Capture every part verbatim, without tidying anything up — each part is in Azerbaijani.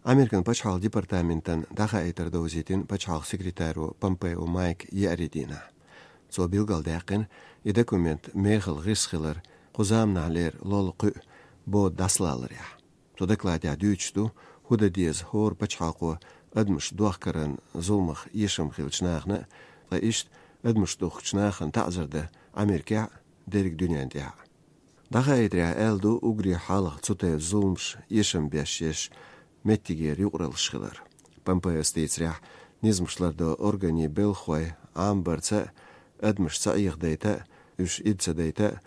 Amerikan Paçhal Departamentan daha eter dozitin Paçhal sekretäru Pompeo Mike Yeridina. So bilgaldäkin i dokument mehel rischiler quzamnaler lolqu bo daslalır ya. So dekladia düçtu huda diez hor Paçhalqo admış duaqkaran zulmach yesham khilchnachna va ist admış duqchnachn ta'zirda Amerika derik dünyanda. Daha eter eldu ugri halq tsute zulmsh yesham beshesh mettiger yuqralışılar. Pompeo stetsrah nizmşlarda organi belxoy ambarca admış saýyg deyta üç idsa deyta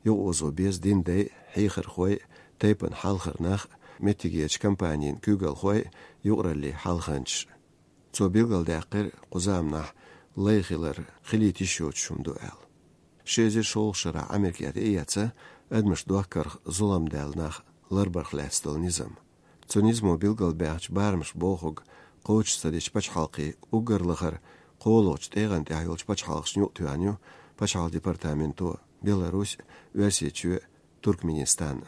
yoğuzu bez dinde heyxir xoy taypan halxırnaq mettigeç kampanyin kügal xoy yuqrali halxanç. So bilgal daqir quzamnah layxilar xiliti şoçumdu el. Şezir şolşara Amerikada eyatsa admış duaqar zulam dalnaq larbarxlastal nizam. Цонизмо билгал бәғч бармыш болхуг қоуч садеч пачхалқи угарлығыр қолуч тейған тәйілч пачхалқш нюк туаню Пачхал департаменту Беларусь версиячу Туркменистан.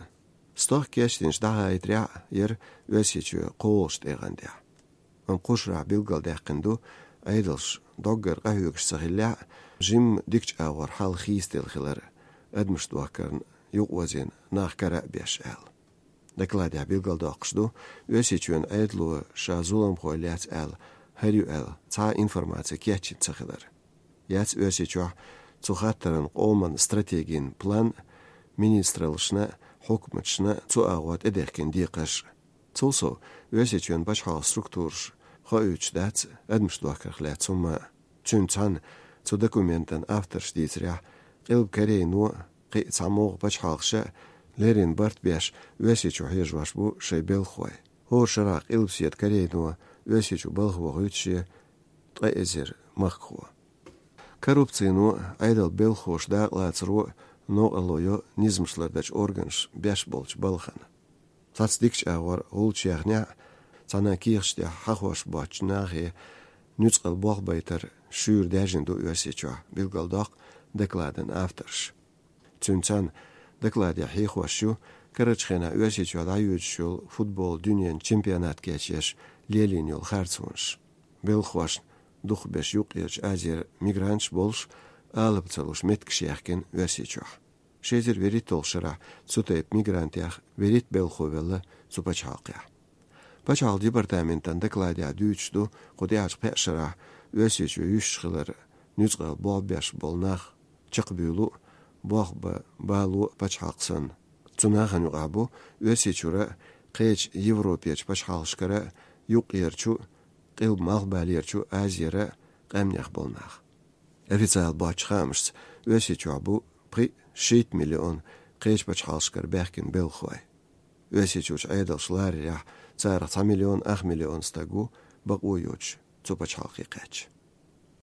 Стоқ кештинш даға айтря ер версиячу қолуч тейған тәй. Он қошра билгал дәққинду айдылш доггар қайугш сағилля жим дикч ауар хал хистел хилар әдміш дуаққарн юқ вазин нақ кара беш әл. Dekladia bilgal doqşdu, ösiçün aydlu şazulam xoylat el, haryu el, ta informatsiya keçin çaxılar. Yats ösiçü çuxatların qoman strategin plan ministralışna, hukmatşna çu ağvat edərkin diqaş. Çulso ösiçün başhal struktur xoyuçdat admış doqarxlat summa çünçan çu dokumentan afterşditsrya qilb kareynu qi çamoq başhalşa Lerin Bartbeş ösiçü hejvaş bu şey belxoy. Hor şaraq ilpsiyet kareynu ösiçü balxo güçü tayzer maxxo. Korrupsiyonu aydal belxoş daqlatsru no aloyo nizmşlardaç organş beş bolç balxan. Tatsdikç awar olçyagna sana kirşte haqwaş baçnağı nütsqal boğbaytar şür dajindu ösiçü bilgaldaq dekladan afterş. Çünçan Dekladia heyxwaşu Karaçxena ösiçü adayuçul futbol dünyen çempionat geçeş lelin yol xarçunş. Belxwaş duxbeş yuqyach azer migranç bolş alıp çalış metkişyaqken ösiçü. Şezir verit olşara sutayıp migrantyaq verit belxovella supaçaqya. Paçal departamentan dekladia düçdu qodiaç peşara ösiçü yüşxılar nüzqal bolbeş bolnaq çıqbulu Boğba, balu paçhalqsan. Cunahan yuqabu, ösiçura, qeç Evropiyaç paçhalşkara, yuq yerçu, qil mağbal yerçu aziyara, qamnyaq bolnaq. Ofitsial başqamış, ösiçu bu, pri şeit milyon, qeç paçhalşkar bəxkin belxoy. Ösiçuç aydalşlar ya, çaraq milyon, ax milyon stagu, baq uyuç, cu paçhalqi qeç.